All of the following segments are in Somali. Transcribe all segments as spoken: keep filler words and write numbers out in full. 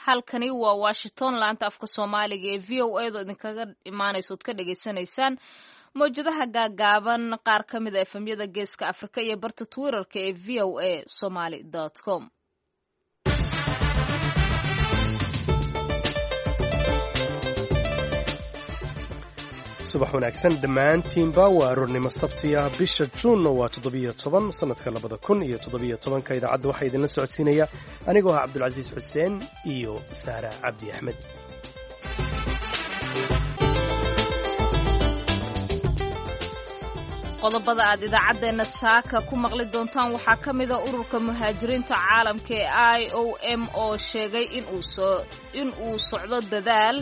Halkani waa Washington, laanta afka Soomaaliga ee V O A do idinkaga imaanayso ood ka dhagaysanaysaan mawjadaha gaagaaban, qaar ka mid a efemyada Geeska Afrika iyo barta Twitterka ee V O A Somaly com. Subax wanaagsan dhammaantiinba. Waa aroornimo Sabti ah, bisha Juunna waa toddobiyo toban sanadka labada kun iyo toddobiyo tobanka. Idaacadda waxaa idinla socodsiinaya anigoo ah Cabdulcasiis Xuseen iyo Saara Cabdi Axmed. Qodobada aad idaacaddeenna saaka ku maqli doontaan waxaa ka mida ururka muhaajiriinta caalamka ee I O M oo sheegay in uu socdo dadaal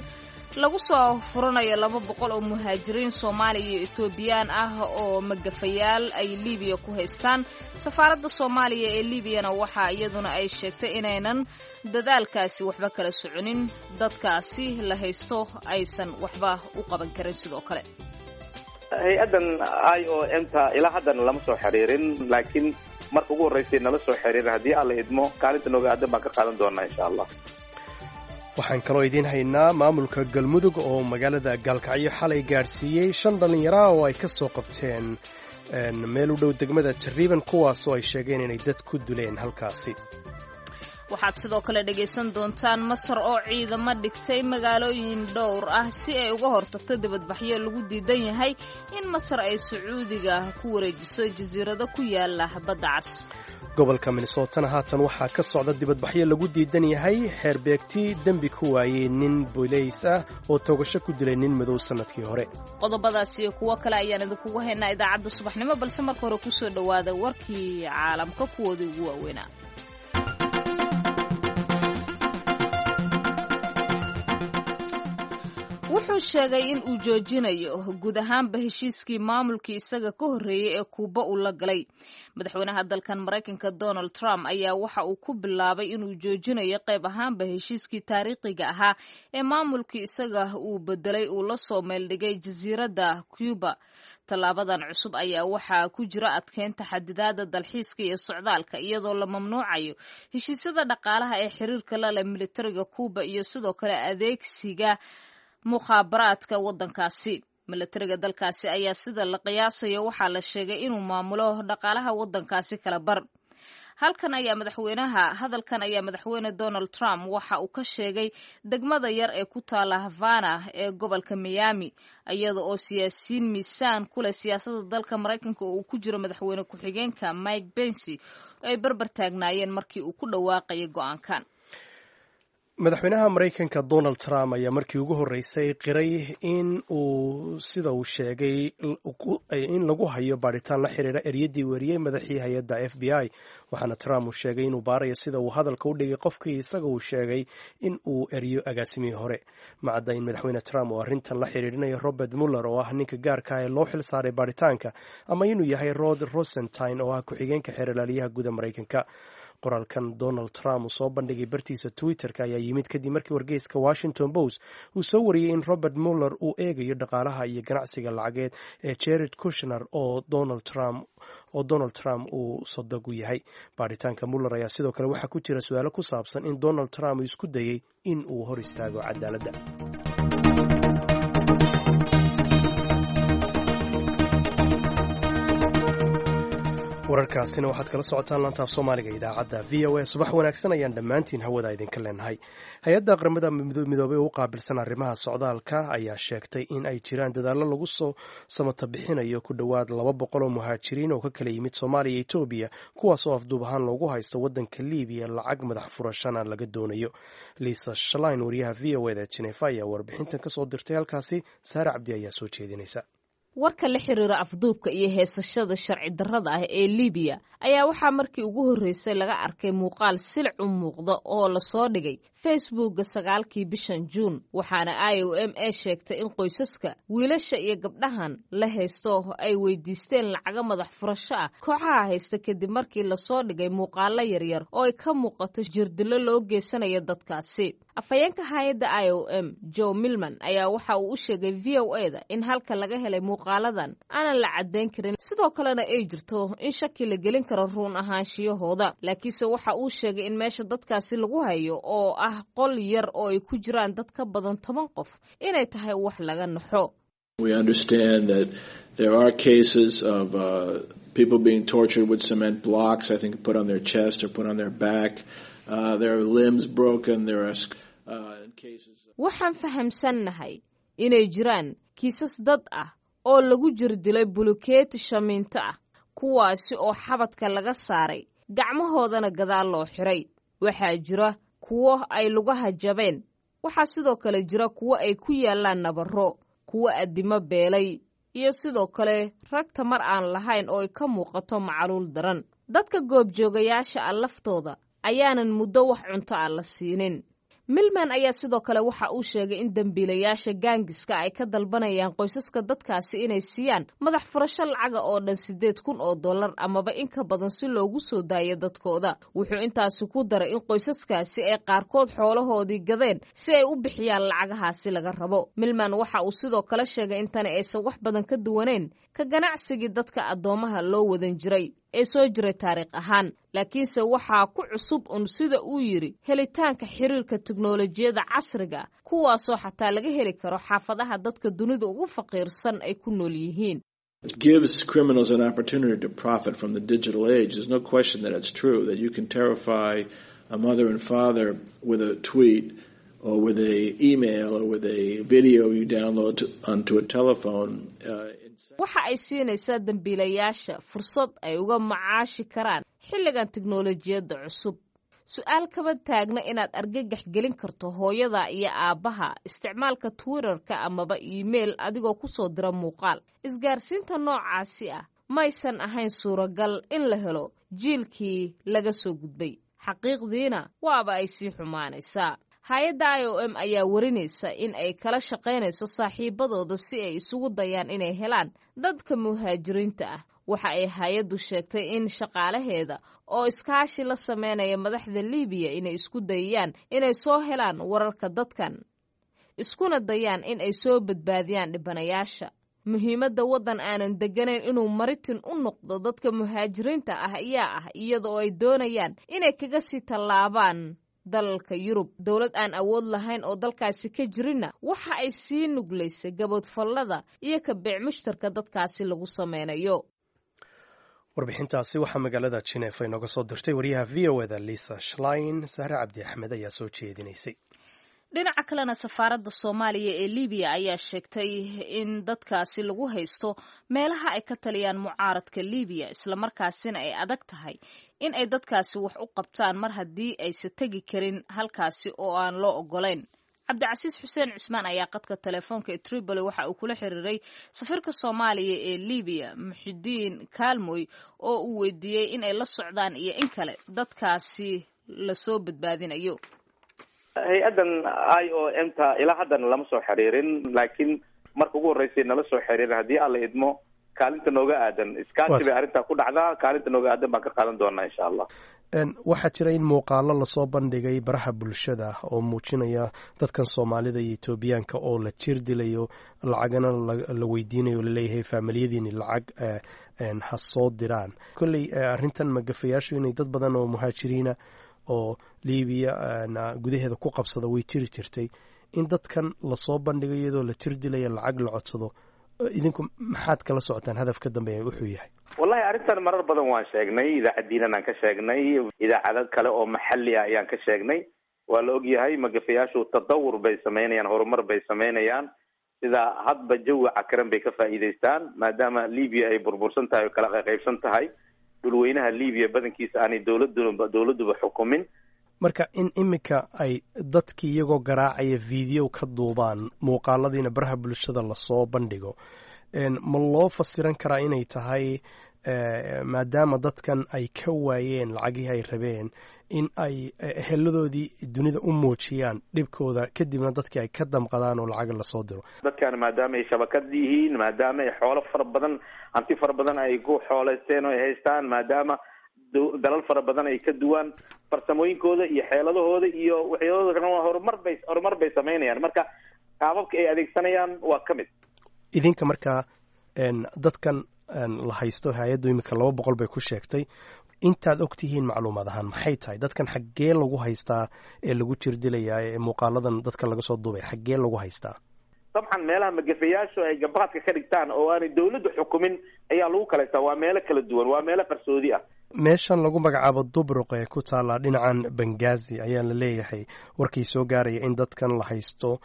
lagu soo furanayo laba boqol oo muhaajiriin Soomaaliya iyo Etoobiyaan ah oo magafayaal ay Libiya ku haystaan. Safaaradda Soomaaliya ee Liibiyana waxaa iyaduna ay sheegtay inaynan dadaalkaasi waxba kala soconin, dadkaasi la haysto aysan waxba u qaban karin sidoo kale. Hay-addan I O M ta ilaa haddana lama soo xiriirin, laakiin marka ugu horreysay nala soo xiriirin, haddii Alla idmo, kaalinta nooga aadan baan ka qaadan doonaa, insha Allah. Waxaan kaloo idiin haynaa maamulka Galmudug oo magaalada Gaalkacyo xalay gaadhsiiyey shan dhallinyara oo ay ka soo qabteen meel u dhow degmada Jariiban, kuwaasoo ay sheegeen inay dad ku duleen halkaasi. Waxaad sidoo kale dhegaysan doontaan Masar oo ciidamo dhigtay magaalooyin dhowr ah si ay uga hortagto dibadbaxyo lagu diidan yahay in Masar ay Sacuudiga ku wareejiso jasiirado ku yaala Badda Cas. Gobolka Minnesotana haatan waxaa ka socda dibadbaxyo lagu diidan yahay xeerbeegti dembi ku waayey nin bolays ah oo toogasho ku dilay nin madow sannadkii hore. Qodobadaas iyo kuwo kale ayaan idinkugu haynaa idaacadda subaxnimo, balse marka hore kusoo dhowaada warkii caalamka kuwoodii ugu waaweynaa. Wuxuu sheegay in uu joojinayo guud ahaanba heshiiskii maamulkii isaga ka horreeyey ee Kuuba uu la galay. Madaxweynaha dalkan Maraykanka Donald Trump ayaa waxa uu ku bilaabay inuu joojinayo qayb ahaanba heshiiskii taariikhiga ahaa ee maamulkii isaga uu bedelay uu la soo meeldhigay jasiiradda Cuba. Tallaabadan cusub ayaa waxaa ku jira adkeynta xadidaadda dalxiiska iyo socdaalka, iyadoo la mamnuucayo heshiisyada dhaqaalaha ee xiriirka la leh militariga Cuba iyo sidoo kale adeegsiga mukhaabaraadka waddankaasi. Milatariga dalkaasi ayaa sida la qiyaasayo waxaa la sheegay inuu maamulo dhaqaalaha waddankaasi kala bar. Halkan ayaa madaxweynaha hadalkan ayaa madaxweyne Donald Trump waxa uu ka sheegay degmada yar ee ku taala Havana ee gobolka Miami, iyada oo siyaasiyiin miisaan ku leh siyaasadda dalka Maraykanka oo uu ku jiro madaxweyne ku-xigeenka Mike Pence ay barbar taagnaayeen markii uu ku dhawaaqayay go'aankan. Madaxweynaha Maraykanka Donald Trump ayaa markii ugu horreysay qiray in uu, sida uu sheegay, in lagu hayo baadhitaan la xiriira eryaddii weriyey madaxii hay-adda F B I. Waxaana Trump uu sheegay inuu baarayo sida uu hadalka u dhigay qofkii isaga uu sheegay in uu eryo agaasimihii hore. Macadda in madaxweyne Trump uu arrintan la xiriirinayo Robert Muller oo ah ninka gaarka ah ee loo xil saaray baadhitaanka, ama inuu yahay Rod Rosenstein oo ah ku-xigeenka xeerlaaliyaha guda Maraykanka. Qoraalkan Donald Trump uu soo bandhigay bartiisa Twitterka ayaa yimid kadib markii wargeyska Washington Post uu soo wariyey in Robert Muller uu eegayo dhaqaalaha iyo ganacsiga lacageed ee Jared Kushner oo Donald Trump oo Donald Trump uu sodog u yahay. Baaritaanka Muller ayaa sidoo kale waxaa ku jira su-aalo ku saabsan in Donald Trump uu isku dayey in uu hor istaago cadaaladda. Wararkaasina waxaad kala socotaan lantaaf Soomaaliga idaacadda V O A. Subax wanaagsan ayaan dhammaantiin hawada idinka leenahay. Hay-adda Qaramada Midoobey u qaabilsan arrimaha socdaalka ayaa sheegtay in ay jiraan dadaallo lagu soo samata bixinayo ku dhowaad laba boqol oo muhaajiriin oo ka kala yimid Soomaaliya iyo Etoobiya, kuwaas oo afduub ahaan loogu haysto waddanka Liibiya, lacag madax furashana laga doonayo. Lisa Shlein, wariyaha V O eda Jenefa, ayaa warbixintan kasoo dirtay halkaasi. Saare Cabdi ayaa soo jeedinaysa. Warka la xiriira afduubka iyo heesashada sharci darrada ah ee Libiya ayaa waxaa markii ugu horreysay laga arkay muuqaal silic u muuqda oo lasoo dhigay Facebookga sagaalkii bishan Juun. Waxaana I O M a sheegtay in qoysaska wiilasha iyo gabdhahan la haysto ay weydiisteen lacago madax furasho ah kooxaha haysta, kadib markii lasoo dhigay muuqaalo yaryar oo ay ka muuqato jirdilo loo geysanayo dadkaasi. Afhayeenka hay-adda I O M, Joe Milman, ayaa waxa uu u sheegay V O A da in halka laga helay muuqaaladan aanan la caddayn karin, sidoo kalena ay jirto in shaki la gelin karo run ahaanshiyahooda. Laakiinse waxa uu sheegay in meesha dadkaasi lagu hayo, oo ah qol yar oo ay ku jiraan dad ka badan toban qof, inay tahay wax laga naxo. We understand that there are cases of uh, people being tortured with cement blocks, I think put on their chest or put on their back. Uh, there are limbs broken. There are uh, cases. Waxaan fahamsannahay inay jiraan kiisas dad ah oo lagu jir dilay bulukeeti shamiinto ah, kuwaasi oo xabadka laga saaray, gacmahoodana gadaal loo xiray. Waxaa jira kuwo ay lugaha jabeen. Waxaa sidoo kale jira kuwo ay ku yaallaan nabarro, kuwo addimo beelay, iyo sidoo kale rag tamar aan lahayn oo ay ka muuqato macaluul daran. Dadka goobjoogayaasha ah laftooda ayaanan muddo wax cunto ah la siinin. Milman ayaa sidoo kale waxa uu sheegay in dembiilayaasha gaangiska ay ka dalbanayaan qoysaska dadkaasi inay siiyaan madax furasho lacaga oo dhan siddeed kun oo dollar amaba in ka badan si loogu soo daayo dadkooda. Wuxuu intaasi ku daray in qoysaskaasi ay qaarkood xoolahoodii gadeen si ay u bixiyaan lacagahaasi laga rabo. Milman waxa uu sidoo kale sheegay in tani aysan wax badan ka duwaneyn ka ganacsigii dadka addoomaha loo wadan jiray ee soo jiray taariikh ahaan, laakiinse waxaa ku cusub un, sida uu yidhi, helitaanka xiriirka teknolojiyadda casriga, kuwaasoo xataa laga heli karo xaafadaha dadka dunida ugu faqiirsan ay ku nool yihiin. It gives criminals an opportunity to profit from the digital age. There's no question that it's true that you can terrify a mother and father with a tweet or with a email or with a video you download to, onto a telephone. Uh, waxa ay siinaysaa dembiilayaasha fursad ay uga macaashi karaan xilligan teknolojiyadda cusub. Su-aal kama taagna inaad argagax gelin karto hooyada iyo aabbaha isticmaalka Twitterka amaba email adigoo kusoo dira muuqaal. Isgaarsiinta noocaasi ah maysan ahayn suuragal in la helo jiilkii laga soo gudbay. Xaqiiqdiina waaba ay sii xumaanaysaa. Hay-adda I O M ayaa warinaysa in ay kala shaqaynayso saaxiibadooda si ay isugu dayaan inay helaan dadka muhaajiriinta ah. Waxa ay hay-addu sheegtay in shaqaalaheeda oo iskaashi la sameynaya madaxda Libiya inay isku dayayaan inay soo helaan wararka dadkan, iskuna dayaan in ay soo badbaadiyaan dhibanayaasha. Muhiimadda waddan aanan degganayn inuu maritin u noqdo dadka muhaajiriinta ah ayaa ah iyada oo ay doonayaan inay kaga sii tallaabaan dalalka Yurub. Dowlad aan awood lahayn oo dalkaasi ka jirinna waxa ay sii nuglaysay gaboodfallada iyo ka beec mushtarka dadkaasi lagu sameynayo. Warbixintaasi waxaa magaalada Jineefa inooga soo dirtay wariyaha V O A da, Lisa Schlein. Sahre Cabdi Axmed ayaa soo jeedinaysay. Dhinaca kalena, safaaradda Soomaaliya ee Libiya ayaa sheegtay in dadkaasi lagu haysto meelaha ay ka taliyaan mucaaradka Libiya, islamarkaasina ay adag tahay in ay dadkaasi wax u qabtaan mar haddii aysa tegi karin halkaasi oo aan loo ogolayn. Cabdicasiis Xuseen Cusmaan ayaa qadka telefoonka ee Tripoli waxa uu kula xiriiray safiirka Soomaaliya ee Libiya, Muxidiin Kaalmoy, oo uu weydiiyey in ay la socdaan iyo in kale dadkaasi lasoo badbaadinayo. Hay-addan I O M ta ilaa haddana lama soo xiriirin, laakiin marka ugu horreysay nala soo xiriirin, haddii Alla idmo, kaalinta nooga aadan, iskaashi bay arrintaa ku dhacdaa, kaalinta nooga aadan baan ka qaadan doonaa, insha Allah. Waxaa jira in muuqaalo lasoo bandhigay baraha bulshada oo muujinaya dadkan Soomaalida iyo Etoobiyaanka oo la jir dilayo, lacagana la weydiinayo, laleeyahay faamiliyadiini lacag ha soo diraan. Kolley arrintan magafayaashu inay dad badan oo muhaajiriina oo Libiya gudaheeda ku qabsada way jiri jirtay. In dadkan lasoo bandhigo iyadoo la jir dilaya, lacag la codsado, idinku maxaad kala socotaan hadaf ka dambeeya wuxuu yahay? Wallahi, arrintan marar badan waan sheegnay, idaacaddiinan aan ka sheegnay, idaacado kale oo maxalli ah ayaan ka sheegnay. Waa la ogyahay magafayaashu tadawur bay samaynayaan, horumar bay samaynayaan, sida hadba jawi cakaran bay ka faa'iidaystaan, maadaama Libiya ay burbursan tahay oo kala qaybsan tahay, dhulweynaha Libiya badankiisa aanay dowladduba dowladduba xukumin. Marka in iminka ay dadkii iyagoo garaacaya video ka duubaan, muuqaaladiina baraha bulshada lasoo bandhigo, ma loo fasiran karaa inay tahay maadaama dadkan ay ka waayeen lacagihii ay rabeen, in ay eheladoodii dunida u muujiyaan dhibkooda, kadibna dadkii ay ka damqadaan oo lacag lasoo diro? Dadkan maadaama ay shabakad yihiin, maadaama ay xoolo fara badan, hanti fara badan ay ku xooleysteen oo ay haystaan, maadaama Dalal fara badan ay ka duwaan farsamooyinkooda iyo xeeladahooda iyo waxyaalahooda kalena waa horumar bay horumar bay samaynayaan. Marka qaababka ay adeegsanayaan waa ka mid. Idinka markaa dadkan la haysto, hay-addu iminka laba boqol bay ku sheegtay, intaad og tihiin macluumaad ahaan maxay tahay dadkan xaggee lagu haystaa ee lagu jirdilayaa ee muuqaaladan dadka laga soo duubay xaggee lagu haystaa? Dabcan meelaha magafayaashu ay gabaadka ka dhigtaan oo aanay dawladdu xukumin ayaa lagu kala haystaa. Waa meelo kala duwan, waa meelo qarsoodi ah. Meeshan lagu magacaabo Dubruq ee ku taalla dhinacan Bangazi ayaa la leeyahay warkii soo gaaraya in dadkan la haysto,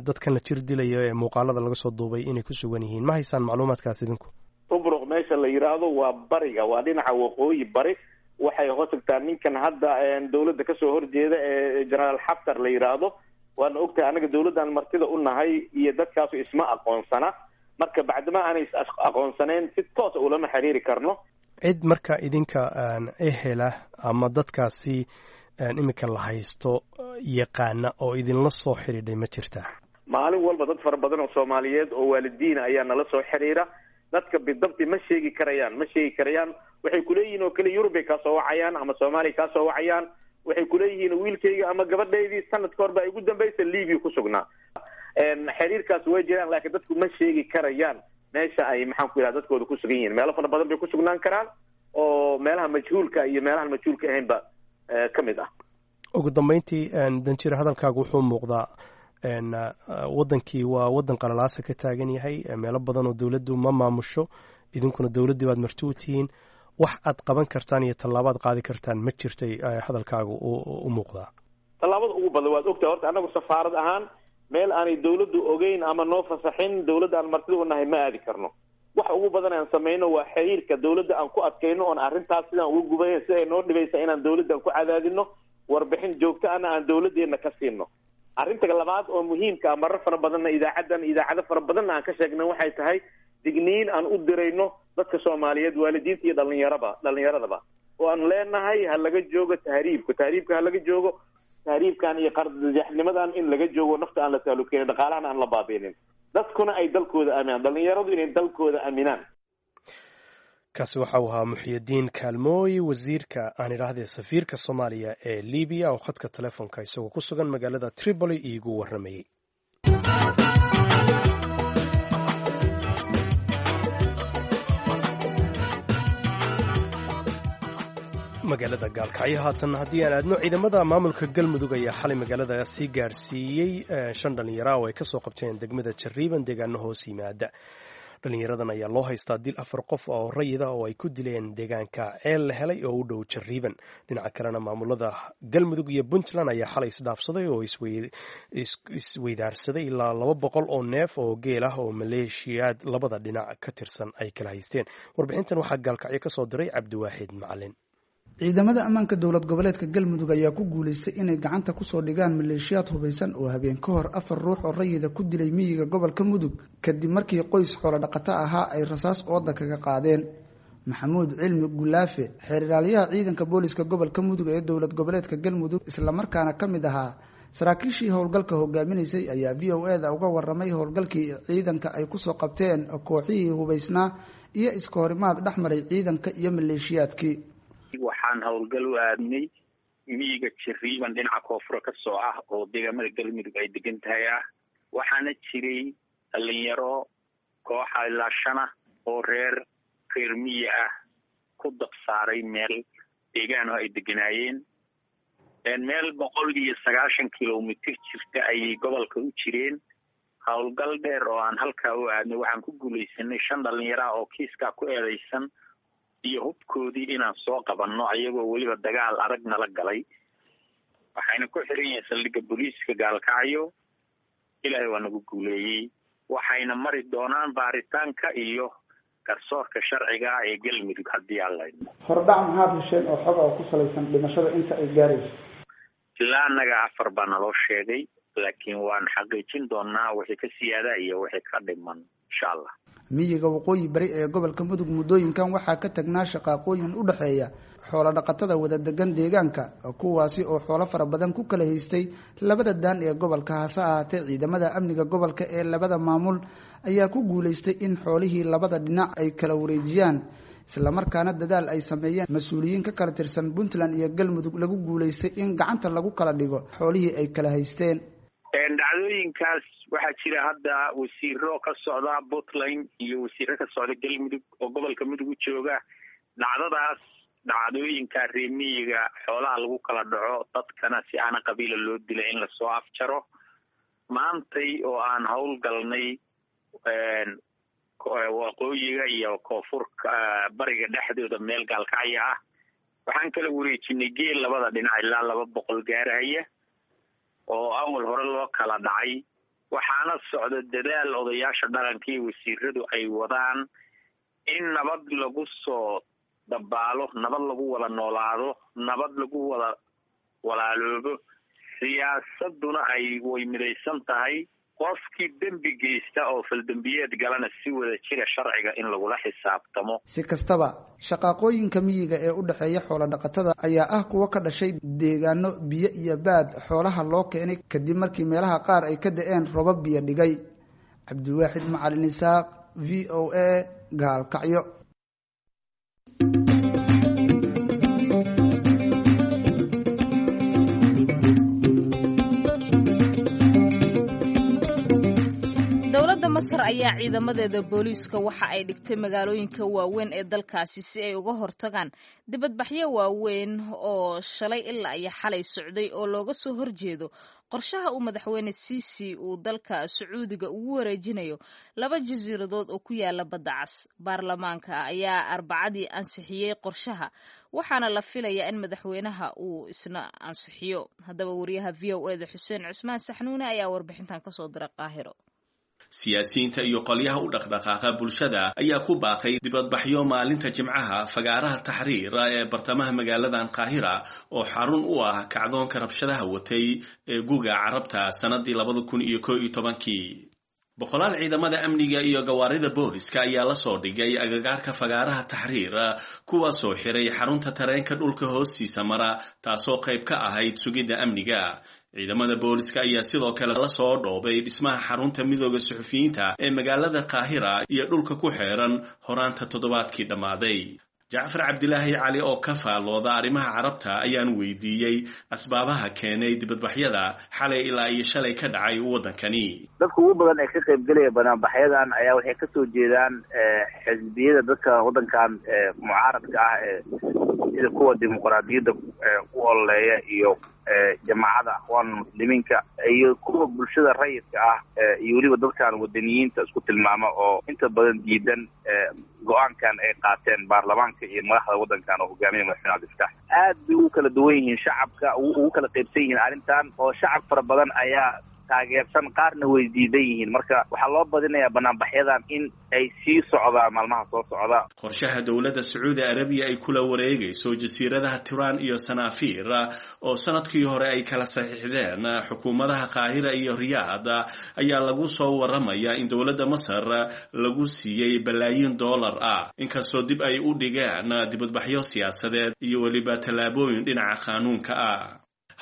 dadkan la jir dilayo ee muuqaalada laga soo duubay inay ku sugan yihiin. Ma haysaan macluumaadkaas idinku? Dubruq meesha la yidhaahdo waa bariga, waa dhinaca waqooyi bari. Waxay hoos tagtaa ninkan hadda dawladda kasoo horjeeda ee Generaal Xaftar la yidhaahdo. Waana ogtahay anaga dawladdan martida u nahay iyo dadkaasu isma aqoonsana. Marka bacdama aanay is aqoonsaneyn si toosa ulama xiriiri karno. Cid marka idinka ehela ama dadkaasi iminka la haysto yaqaana oo idinla soo xidhiidhay ma jirtaa? Maalin walba dad fara badan oo Soomaaliyeed oo waalidiina ayaa nala soo xiriira. Dadka bidabti ma sheegi karayaan, ma sheegi karayaan. Waxay kuleeyihiin oo kale Yurub bay kaasoo wacayaan ama Soomaaliya kaasoo wacayaan. Waxay kuleeyihiin wiilkayga ama gabadhaydii sanadka hor baa igu dambaysa Libiya ku sugnaa. Xiriirkaas way jiraan, laakiin dadku ma sheegi karayaan meesha ay maxaan ku yidhaha dadkooda ku sugan yihiin. Meelo fara badan bay ku sugnaan karaan oo meelaha majhuulka iyo meelahan majhuulka ahaynba ka mid ah. Ugu dambeyntii, danjir, hadalkaagu wuxuu muuqdaa waddankii waa waddan qalalaasa ka taagan yahay, meelo badan oo dowladdu ma maamusho, idinkuna dowladdii baad marti u tihiin. Wax aad qaban kartaan iyo tallaabaad qaadi kartaan ma jirtay hadalkaagu u muuqdaa? Tallaabada ugu badan waad ogtahay horta annagu safaarad ahaan meel aanay dawladdu ogeyn ama noo fasaxin dawladda aan martida u nahay ma aadi karno. Waxa ugu badan aan samayno waa xiriirka dawladda aan ku adkayno oon arrintaas sidaan uga gubay si ay noo dhibaysa inaan dawladdan ku cadaadino, warbixin joogto ana aan dawladdeena ka siino. Arrinta labaad oo muhiimka ah, marar fara badanna idaacaddan idaacado fara badanna aan ka sheegnay, waxay tahay digniin aan u dirayno dadka Soomaaliyeed, waalidiinta iyo dhalinyaraba dhalinyaradaba, oo aan leenahay ha laga joogo tahriibka, tahriibka ha laga joogo, tahriibkan iyo qardajaxnimadan in laga joogo, nafta aan la taalukeenin, dhaqaalahana aan la baabiinin, dadkuna ay dalkooda aaminaan, dhalinyaradu inay dalkooda aaminaan. Kaasi waxa uu ahaa Muxyidiin Kaalmooy, wasiirka aan idhaahdee safiirka Soomaaliya ee Libiya, oo khadka telefoonka isagoo ku sugan magaalada Tripoli iigu warramayey. Magaalada Gaalkacyo haatan haddii aan aadno, ciidamada maamulka Galmudug ayaa xalay magaalada sii gaarsiiyey shan dhallinyara oo ay kasoo qabteen degmada Jariiban deegaano hoos yimaada. Dhallinyaradan ayaa loo haystaa dil afar qof oo rayida oo ay ku dileen deegaanka Ceel la Helay oo u dhow Jariiban. Dhinaca kalena maamulada Galmudug iyo Puntland ayaa xalay isdhaafsaday oo isweydaarsaday ilaa laba boqol oo neef oo geel ah oo maleeshiyaad labada dhinac ka tirsan ay kala haysteen. Warbixintan waxaa Gaalkacyo ka soo diray Cabdiwaaxid Macalin. Ciidamada ammaanka dowlad goboleedka Galmudug ayaa ku guuleystay inay gacanta kusoo dhigaan maleeshiyaad hubaysan oo habeen ka hor afar ruux oo rayida ku dilay miyiga gobolka Mudug, kadib markii qoys xoolo dhaqato ahaa ay rasaas ooda kaga qaadeen. Maxamuud Cilmi Gulaafe, xeeriraaliyaha ciidanka booliska gobolka Mudug ee dowlad goboleedka Galmudug, islamarkaana ka mid ahaa saraakiishii howlgalka hogaaminaysay, ayaa V O e-da uga waramay howlgalkii ciidanka ay kusoo qabteen kooxihii hubaysnaa iyo iska horimaad dhexmaray ciidanka iyo maleeshiyaadkii. Waxaan howlgal u aadnay miyiga Jariiban dhinaca koonfura ka soo ah oo deegaamada Galmudug ay degan tahay ah. Waxaana jiray dhalinyaro kooxa ilaa shana oo reer reer miyi ah ku dab saaray meel deegaan oo ay deganaayeen. Meel boqol iyo sagaashan kilomitr jirta ayay gobolka u jireen. Howlgal dheer oo aan halkaa u aadnay waxaan ku guulaysanay shan dhalinyaro ah oo kiiskaa ku eedeysan iyo hubkoodii inaan soo qabanno, ayagoo weliba dagaal adag nala galay. Waxayna ku xiran yihiin saldhigga booliiska Gaalkacyo. Ilaahay waa nagu guuleeyey. Waxayna mari doonaan baaritaanka iyo garsoorka sharciga ee Galmudug haddii aan laydmo. Hordhac maxaad hesheen oo xog oo ku salaysan dhimashada inta ay gaarayso? Ilaa annaga afar baa naloo sheegay, laakiin waan xaqiijin doonaa wixii ka siyaada iyo wixii ka dhiman insha Allah. Miyiga waqooyi bari ee gobolka Mudug muddooyinkan waxaa ka tagnaa shaqaaqooyin u dhexeeya xoolo dhaqatada wada degan deegaanka, kuwaasi oo xoolo fara badan ku kala haystay labada daan ee gobolka. Hase ahaatee ciidamada amniga gobolka ee labada maamul ayaa ku guulaystay in xoolihii labada dhinac ay kala wareejiyaan, Islamarkaana dadaal ay sameeyeen mas-uuliyiin ka kala tirsan Puntland iyo Galmudug lagu guulaystay in gacanta lagu kala dhigo xoolihii ay kala haysteen. Dhacdooyinkaas waxaa jira hadda wasiiro ka socda Puntland iyo wasiiro ka socda Galmudug oo gobolka Mudug u jooga. Dhacdadaas, dhacdooyinka reemiyiga xoolaha lagu kala dhaco, dadkana si aana qabiila loo dilay in lasoo afjaro. Maantay oo aan hawl galnay waqooyiga iyo koonfurka bariga dhexdooda meel gaalkacya ah, waxaan kala wareejinay geel labada dhinac ilaa laba boqol gaarahaya oo awal hore loo kala dhacay. Waxaana socda dadaal odayaasha dhaqanka iyo wasiiradu ay wadaan in nabad lagu soo dabaalo, nabad lagu wada noolaado, nabad lagu wada walaaloobo, siyaasaduna ay way midaysan tahay. Qofkii dembi geysta oo faldembiyeed galana si wada jira sharciga in lagula xisaabtamo. Si kastaba, shaqaaqooyinka miyiga ee u dhexeeya xoola dhaqatada ayaa ah kuwo ka dhashay deegaano biyo iyo baad xoolaha loo keenay kadib markii meelaha qaar ay ka da-een robab biyo dhigay. Cabdiwaaxid Macalin Isaaq, V O A, Gaalkacyo. Dowladda Masar ayaa ciidamadeeda booliiska waxa ay dhigtay magaalooyinka waaweyn ee dalkaasi si ay uga hortagaan dibadbaxyo waaweyn oo shalay ilaa iyo xalay socday oo looga soo horjeedo qorshaha uu madaxweyne Siisi uu dalka Sacuudiga ugu wareejinayo laba jasiiradood oo ku yaala badda cas. Baarlamaanka ayaa Arbacadii ansixiyey qorshaha, waxaana la filayaa in madaxweynaha uu isna ansixiyo. Haddaba, wariyaha V O eda Xuseen Cusmaan Saxnuune ayaa warbixintan kasoo diray Qaahiro. Siyaasiyiinta iyo qolyaha u dhaqdhaqaaqa bulshada ayaa ku baaqay dibadbaxyo maalinta Jimcaha fagaaraha Taxriir ee bartamaha magaaladan Qaahira, oo xarun u ah kacdoonka rabshadaha watay ee Guga Carabta sanadii labada kun iyo ko iyo tobankii. Boqolaal ciidamada amniga iyo gawaarida booliska ayaa lasoo dhigay agagaarka fagaaraha Taxriir, kuwaasoo xiray xarunta tareenka dhulka hoostiisa mara, taasoo qayb ka ahayd sugidda amniga. Ciidamada booliska ayaa sidoo kale lasoo dhoobay dhismaha xarunta Midooda Suxufiyiinta ee magaalada Qaahira iyo dhulka ku xeeran horaanta toddobaadkii dhammaaday. Jacfar Cabdilaahi Cali oo ka faallooda arrimaha Carabta ayaan weydiiyey asbaabaha keenay dibadbaxyada xalay ilaa iyo shalay ka dhacay waddankani. Dadka ugu badan ee ka qaybgelaya banaanbaxyadan ayaa waxay kasoo jeedaan xisbiyada dadka waddankan mucaaradka ah, ee sida kuwa dimuqraadiyadda u ololeeya iyo Jamaacada Akhwaan Muslimiinka iyo kuwa bulshada rayidka ah iyo weliba dadkan wadaniyiinta isku tilmaama oo inta badan diidan go-aankan ay qaateen baarlamaanka iyo madaxda waddankan oo hogaamiya madaxweyne Cabdifatax. Aad bay ugu kala duwan yihiin shacabka, ugu kala qaybsan yihiin arrintan, oo shacab fara badan ayaa taageersan, qaarna way diidan yihiin. Marka waxaa loo badinayaa banaanbaxyadan in ay sii socdaan maalmaha soo socda. Qorshaha dowladda Sacuudi Arabiya ay kula wareegayso jasiiradaha Tiran iyo Sanaafiir, oo sanadkii hore ay kala saxiixdeen xukuumadaha Qaahira iyo Riyaad, ayaa lagu soo waramayaa in dowladda Masar lagu siiyey balaayiin dollar ah, inkastoo dib ay u dhigeen dibadbaxyo siyaasadeed iyo weliba tallaabooyin dhinaca qaanuunka ah.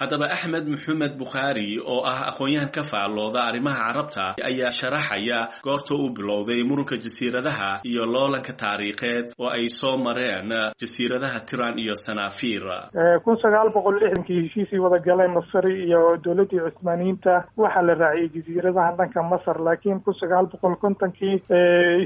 Haddaba, Axmed Maxamed Bukhaari oo ah aqoon-yahan ka faallooda arrimaha Carabta ayaa sharaxaya goorta uu bilowday muranka jasiiradaha iyo loolanka taariikheed oo ay soo mareen jasiiradaha Tiran iyo Sanaafiir. Kun sagaal boqol lixdankii heshiisii wada galeen Masari iyo dowladdii Cusmaaniyiinta waxaa la raaciyey jasiiradahan dhanka Masar, laakiin kun sagaal boqol kontonkii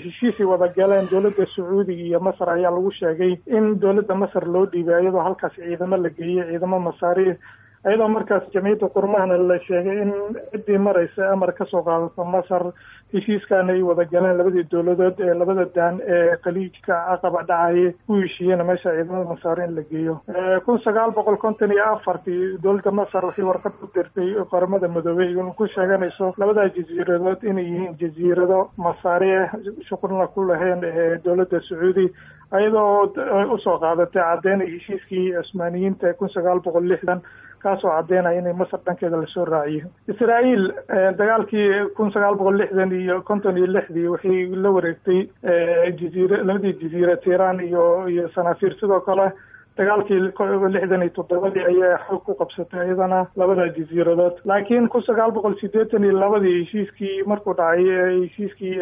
heshiisii wada galeen dowladda Sacuudiga iyo Masar ayaa lagu sheegay in dowladda Masar loo dhiibay, iyadoo halkaas ciidamo la geeyey, ciidamo Masaari, iyadoo markaas Jamciyadda Qurmahana la sheegay in ciddii maraysa amar kasoo qaadato Masar. Heshiiskaana ay wada galeen labadii dowladood ee labada daan ee Khaliijka Aqaba dhacayay ku heshiiyeen meesha ciidamada Masaar in la geeyo. Kun sagaal boqol konton iyo afartii dowladda Masar waxay warqad u dirtay Qaramada Midoobey in ku sheeganayso labadaa jasiiradood inay yihiin jasiirado Masaari ah, shuqulna ku lahayn dowladda Sacuudi, ayadoo usoo qaadatay caddeynay heshiiskii Cusmaaniyiinta kun sagaal boqol lixdan, kaasoo caddeynaya inay Masar dhankeeda lasoo raaciyo. Israa'iil dagaalkii kun sagaal boqol lixdan iyo konton iyo lixdii waxay la wareegtay jaziira labadii jaziira, Tiran iyo iyo Sanafir. Sidoo kale Dagaalkii lixdan iyo toddobadii ayaa xoog ku qabsatay iyadana labada jasiiradood. Laakiin kun sagaal boqol sideetan iyo labadii heshiiskii markuu dhacay, heshiiskii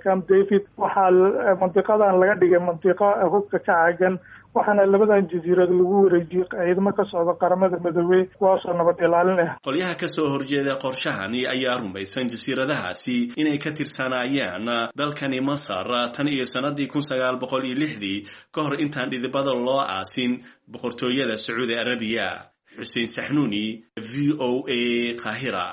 Camp David, waxaa mandiqadan laga dhigay mandiqo hubka ka caagan, waxaana labadan jasiirad lagu wareejiyey ciidamo ka socda Qaramada Midoobey, kuwaasoo nabad ilaalin ah. Qolyaha ka soo horjeeda qorshahani ayaa rumaysan jasiiradahaasi inay ka tirsanaayeen dalkani Masar tan iyo sanadii kun sagaal boqol iyo lixdii, ka hor intaan dhidibada loo aasin Boqortooyada Sacuudi Arabiya. Xuseen Saxnuuni, V O A, Qaahira.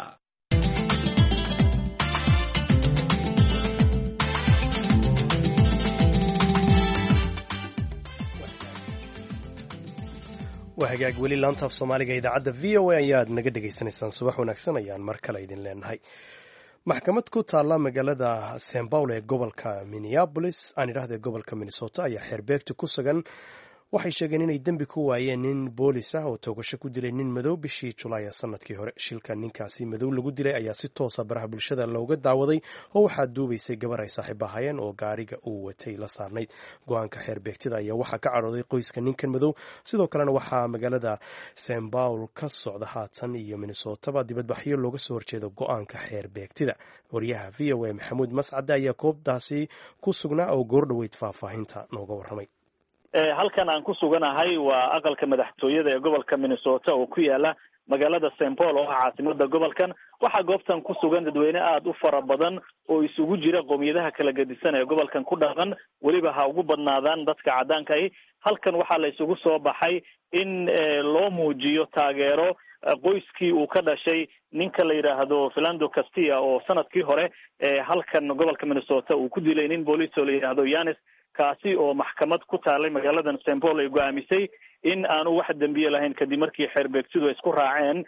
Waa hagaag, weli laanta af Soomaaliga idaacadda V O A ayaad naga dhegaysanaysaan. Subax wanaagsan ayaan mar kale idin leenahay. Maxkamad ku taalla magaalada Saint Paul ee gobolka Minneapolis, aan idhahda gobolka Minnesota, ayaa xeerbeegta ku sugan waxay sheegeen inay dembi ku waayeen nin boolis ah oo toogasho ku dilay nin madow bishii Julaay sanadkii hore. Shilka ninkaasi madow lagu dilay ayaa si toosa baraha bulshada looga daawaday, oo waxaa duubaysay gabar ay saaxiib ahaayeen oo gaariga uu watay la saarnayd. Go-aanka xeerbeegtida ayaa waxaa ka cadhooday qoyska ninkan madow. Sidoo kalena waxaa magaalada Saint Paul ka socda haatan iyo Minnesotaba dibadbaxyo looga soo horjeedo go-aanka xeerbeegtida. Wariyaha V O A Maxamuud Mascade ayaa koobtaasi ku sugnaa oo goordhoweyd faahfaahinta nooga warramay. Halkan aan ku suganahay waa aqalka madaxtooyada ee gobolka Minnesota oo ku yaala magaalada Saint Paul oo ah caasimada gobolkan. Waxaa goobtan ku sugan dadweyne aada u fara badan oo isugu jira qowmiyadaha kala gedisan ee gobolkan ku dhaqan, weliba ha ugu badnaadaan dadka caddaanka ahi. Halkan waxaa la isugu soo baxay in loo muujiyo taageero qoyskii uu ka dhashay ninka la yidhaahdo Philando Castile, oo sanadkii hore halkan gobolka Minnesota uu ku dilay nin booliis oo la yidhaahdo Yanis, kaasi oo maxkamad ku taalay magaaladan Saint Paul ay go-aamisay in aanu wax dembiye lahayn, kadib markii xeerbeegtidu ay isku raaceen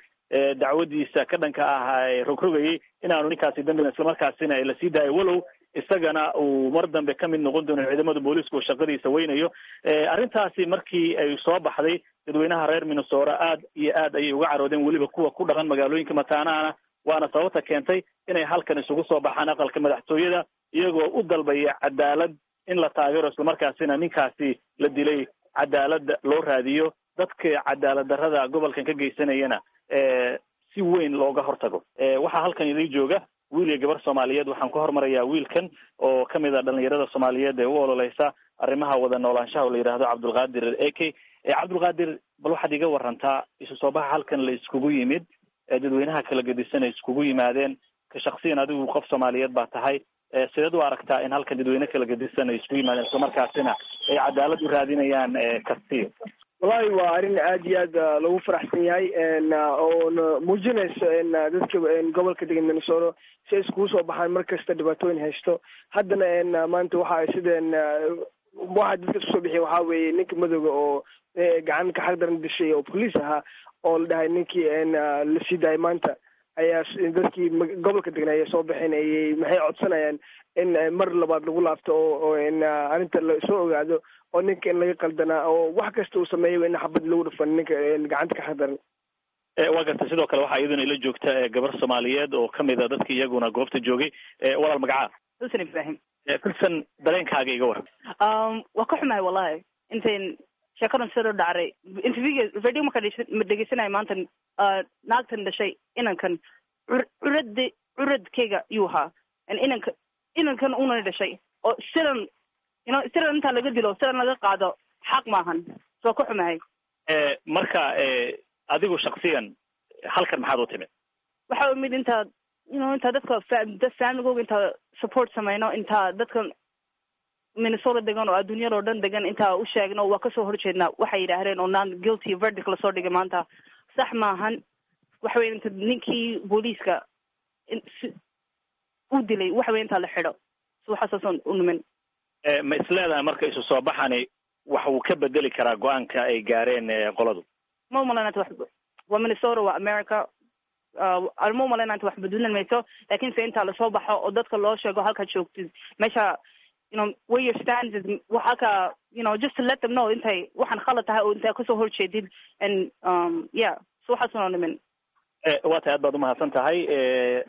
dacwadiisa ka dhanka ah rogrogayay in aanu ninkaasi dembi, islamarkaasina ay lasii daayo, walow isagana uu mar dambe ka mid noqon doono ciidamada booliisku oo shaqadiisa weynayo. Arrintaasi markii ay soo baxday, dadweynaha reer Minnesota aad iyo aad ayay uga caroodeen, weliba kuwa ku dhaqan magaalooyinka mataanahana, waana sababta keentay inay halkan isugu soo baxaan aqalka madaxtooyada, iyagoo u dalbaya cadaalad in la taageero, islamarkaasina ninkaasi la dilay cadaalad loo raadiyo, dadka cadaalad darrada gobolkan ka geysanayana si weyn looga hortago. Waxaa halkan idin jooga wiil iyo gabar Soomaaliyeed. Waxaan ku hormarayaa wiilkan oo kamid a dhalinyarada Soomaaliyeed ee u ololeysa arrimaha wada noolaanshaha oo la yidhaahdo Cabdulqaadir A K. Cabdulqaadir, bal waxaad iga warantaa isu soo baxa halkan la iskugu yimid, dadweynaha kala gedisan ay iskugu yimaadeen. Ka shaksiyan adigu qof Soomaaliyeed baa tahay, sideed u aragtaa in halkan dadweyne kala gedisan ay isku yimaadeen, islamarkaasina ay cadaalad u raadinayaan Castillo? Wallahi waa arrin aad iyo aad lagu faraxsan yahay oona muujinayso dadka gobolka degan Minnesota si ay iskugu soo baxaan mar kasta dhibaatooyin haysto. Haddana maanta waxa sideen waxa dadka isku soo bixiya waxaa weeye ninka madowga oo gacan ka xaq daran dishay oo police ahaa oo la dhahay ninkii la sii daayay maanta ayaa dadkii gobolka degan ayay soo baxeen. Ayay maxay codsanayaan in mar labaad lagu laabto oo arrinta lasoo ogaado oo ninka in laga qaldanaa oo wax kasta uu sameeyay in xabad lagu dhufan ninka gacanta ka xaqdaran. Waa gartay. Sidoo kale waxaa iyaduna ila joogta gabar Soomaaliyeed oo kamid a dadki iyaguna goobta joogay. Walaal, magacaa? Filson Ibrahim. Filson, dareenkaaga iga waran. Waa ka xumahay wallahi intayn sheekadan sida dhacray. Interviewga radio marka ma dhegeysanayo maanta, naagtan dhashay inankan curad curadkeyga yuu ahaa, inanka inankan una dhashay oo sidan you know sidan intaa laga dilo, sidan laga qaado, xaq maahan. Soo ka xumahay. Marka adigu shaksiyan halkan maxaad u timid? Waxa umid intaa you know intaa dadka dad familygooga intaa support sameyno, intaa dadka Minnesota degan oo adduunyada oo dhan degan intaa u sheegno waa kasoo horjeednaa waxay yidhaahdeen oo non guilty verdict lasoo dhigay maanta. Sax maahan. Waxa weya inta ninkii booliiska u dilay, waxa weya intaa la xidho. So waxaasaasan u nimin. Ma isleedahay marka isu soo baxani wax uu ka bedeli karaa go-aanka ay gaareen qoladu? Ma umalaynanta wax. Waa Minnesota, waa America. Ma umalaynanta wax bedelan mayso, laakin se intaa lasoo baxo oo dadka loo sheego halkaad joogtid meesha, you know where your stand is, halka you know just to let them know intay waxaan khalad tahay oo intay kasoo horjeedid and um yeah, so waxaasuna nimin. Waa tahay, aad baad umahadsan tahay.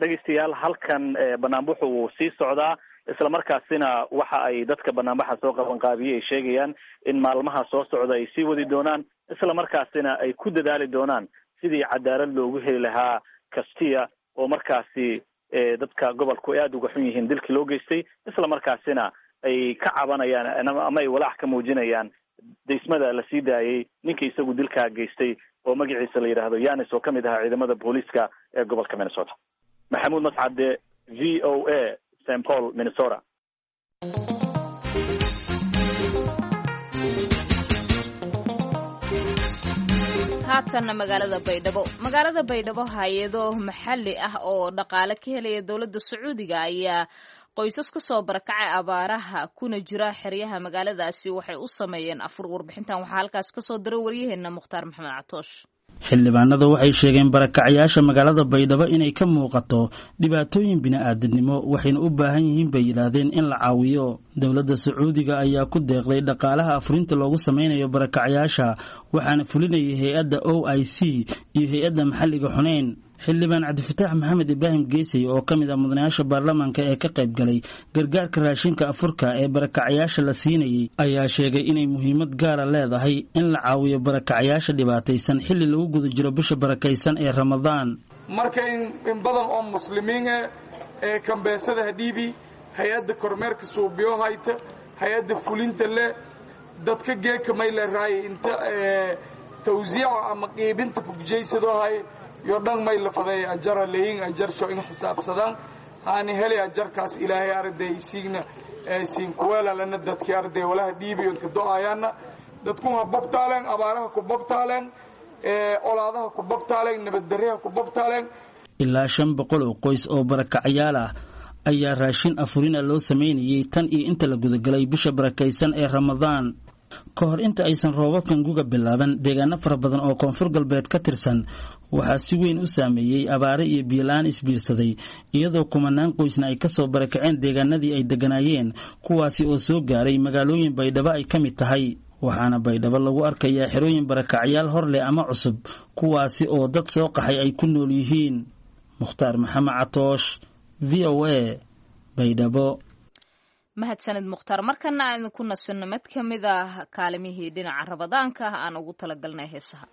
Dhegeystayaal, halkan banaanbuxu wuu sii socdaa. Isla markaasina waxa ay dadka banaanbaxa soo qabanqaabiyey ay sheegayaan in maalmaha soo socda ay sii wadi doonaan, isla markaasina ay ku dadaali doonaan sidii cadaalad loogu heli lahaa Castilla, oo markaasi dadka gobolku ay aada uga xun yihiin dilkii loo geystay, isla markaasina ay ka cabanayaan ama ay walaac ka muujinayaan daysmada la sii daayey ninka isagu dilkaa geystay oo magaciisa la yidhaahdo Yanis, oo ka mid ahaa ciidamada booliiska ee gobolka Minnesota. Maxamuud Mascade, V O A, Saint Paul, Minnesota. Haatanna magaalada Baydhabo. Magaalada Baydhabo, hay-ado maxalli ah oo dhaqaale ka helaya dowladda Sacuudiga ayaa qoysas ka soo barakacay abaaraha kuna jira xeryaha magaaladaasi waxay u sameeyeen afur. Warbixintan waxaa halkaas kasoo diray waryaheena Mukhtaar Maxamed Catoosh. Xildhibaanada waxay sheegeen barakacayaasha magaalada Baydhabo inay ka muuqato dhibaatooyin bini'aadamnimo, waxayna u baahan yihiin, bay yidhaahdeen, in la caawiyo. Dowladda Sacuudiga ayaa ku deeqday dhaqaalaha afurinta loogu sameynayo barakacayaasha, waxaana fulinayay hay-adda O I C iyo hay-adda maxalliga Xuneyn. Xildhibaan Cabdifataax Maxamed Ibraahim Geesey, oo ka mid ah mudanayaasha baarlamaanka ee ka qayb galay gargaarka raashinka afurka ee barakacayaasha la siinayay, ayaa sheegay inay muhiimad gaara leedahay in la caawiyo barakacayaasha dhibaataysan xilli lagu guda jiro bisha barakaysan ee Ramadaan. Marka in badan oo muslimiin eh ee kambeesada hadhiibi, hay-adda kormeerka suubiyo hayta, hay-adda fulinta leh, dadka geeka may la raayay inta tawsiica ama qiibinta kugujaysadoo hay yo dhan may la faday ajara leeyin ajarsho in xisaabsadaan haani helay ajarkaas. Ilaahay arday isiigna siin kuweelalana dadkii arday walaha dhiibiyo inka do-ayaana dadkun ha bobtaaleen, abaaraha ku bobtaaleen, olaadaha ku bobtaaleen, nabaddaryaha ku bobtaaleen. Ilaa shan boqol oo qoys oo barakacayaal ah ayaa raashin afurina loo sameynayay tan iyo inta la gudagalay bisha barakaysan ee Ramadaan. Ka hor inta aysan roobabkan guga bilaaban, deegaano fara badan oo Koonfur Galbeed ka tirsan waxaa si weyn u saameeyey abaare iyo biyola-aan isbiirsaday, iyadoo kumanaan qoysna ay kasoo barakaceen deegaanadii ay degganaayeen, kuwaasi oo soo gaaray magaalooyin Baydhabo ay ka mid tahay. Waxaana Baydhabo lagu arkayaa xerooyin barakacyaal hor leh ama cusub, kuwaasi oo dad soo qaxay ay ku nool yihiin. Mukhtaar Maxamed Catoosh, V O A, Baydhabo. Mahadsanid Mukhtaar. Markana aan idinku nasinno mid ka mid ah kaalimihii dhinaca Rabadaanka ah aan ugu talagalnay heesaha.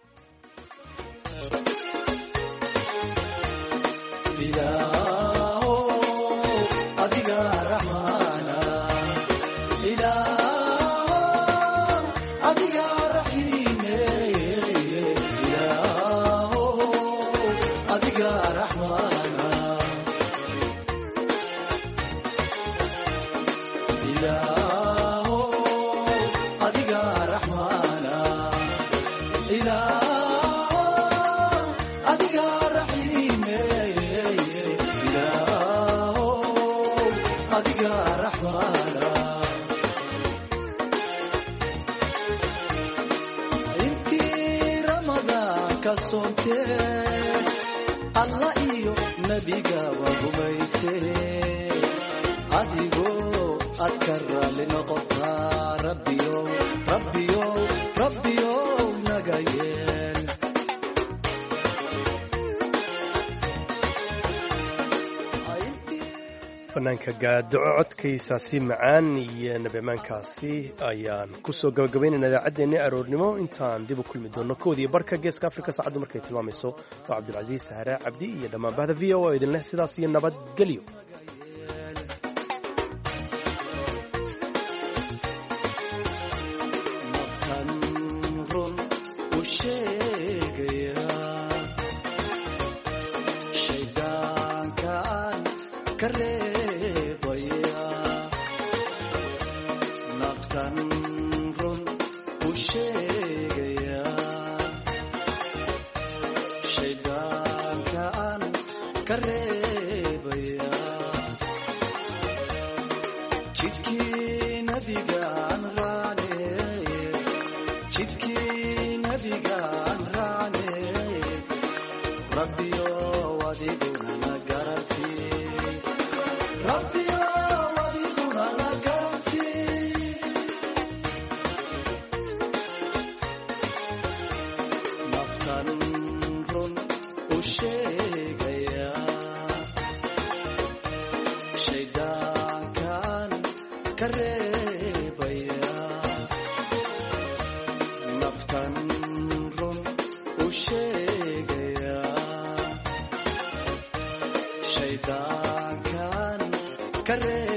Alla iyo nabiga waa gumayse, adigoo aad ka raali noqotaa, Rabbiyow, Rabbiyow, Rabbiyow naga yeel. Fanaanka Gaadaco codkaysaasi macaan iyo nabimaankaasi ayaan kusoo gabagabaynayna idaacaddeenni aroornimo. Intaan dib u kulmi doonno koodiyo barka Geeska Afrika saacaddu markay tilmaamayso, waa Cabdilcasiis Sahre Cabdi iyo dhammaan bahda V O A idin leh sidaas iyo nabadgelyo. Shaydaanka. kuu sheegayaa, shaydaankan ka reeb.